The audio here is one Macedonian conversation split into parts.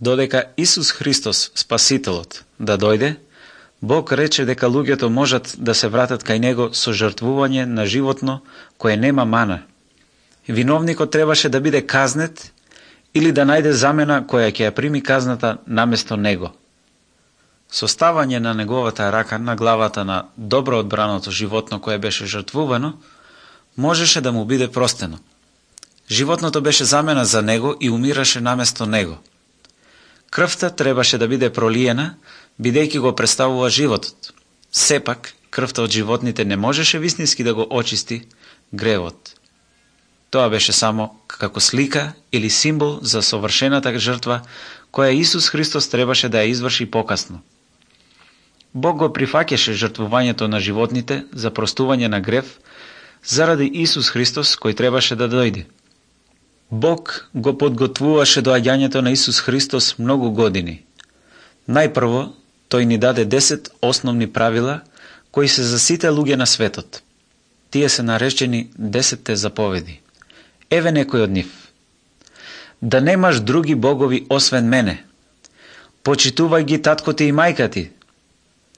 Додека Исус Христос, Спасителот, да дојде, Бог рече дека луѓето можат да се вратат кај Него со жртвување на животно кое нема мана. Виновникот требаше да биде казнет или да најде замена која ќе ја прими казната наместо него. Со ставање на неговата рака на главата на добро одбраното животно кое беше жртвувано, можеше да му биде простено. Животното беше замена за него и умираше наместо него. Крвта требаше да биде пролиена, бидејќи го представува животот. Сепак, крвта од животните не можеше вистински да го очисти гревот. Тоа беше само како слика или символ за совршената жртва која Исус Христос требаше да ја изврши покасно. Бог го прифаќаше жртвувањето на животните за простување на грев заради Исус Христос кој требаше да дојде. Бог го подготвуваше доаѓањето на Исус Христос многу години. Најпрво, тој ни даде 10 основни правила кои се за сите луѓе на светот. Тие се наречени 10 заповеди. Еве некој од нив. Да немаш други богови освен мене. Почитувај ги татко ти и мајка ти.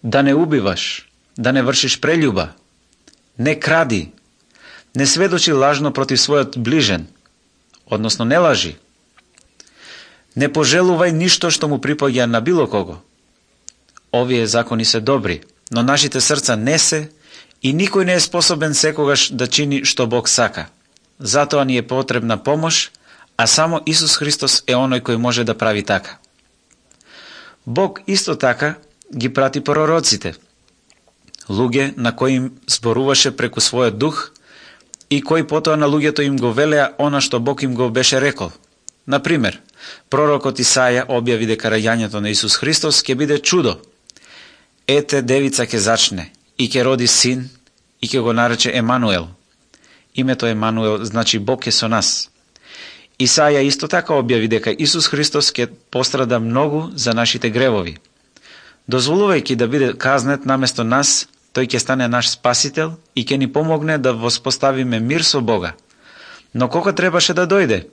Да не убиваш. Да не вршиш прељуба. Не кради. Не сведочи лажно против својот ближен. Односно не лажи. Не пожелувај ништо што му припаѓа на било кого. Овие закони се добри, но нашите срца не се и никој не е способен секогаш да чини што Бог сака. Затоа ни е потребна помош, а само Исус Христос е оној кој може да прави така. Бог исто така ги прати пророците, луѓе на кои им зборуваше преку својот дух и кои потоа на луѓето им го велеа она што Бог им го беше рекол. Например, пророкот Исаја објави дека раѓањето на Исус Христос ќе биде чудо. Ете, девица ќе зачне и ќе роди син и ќе го нарече Емануел. Името Емануел значи Бог е со нас. Исаја исто така објави дека Исус Христос ќе пострада многу за нашите гревови. Дозволувајќи да биде казнет наместо нас, тој ќе стане наш спасител и ќе ни помогне да воспоставиме мир со Бога. Но кога требаше да дојде?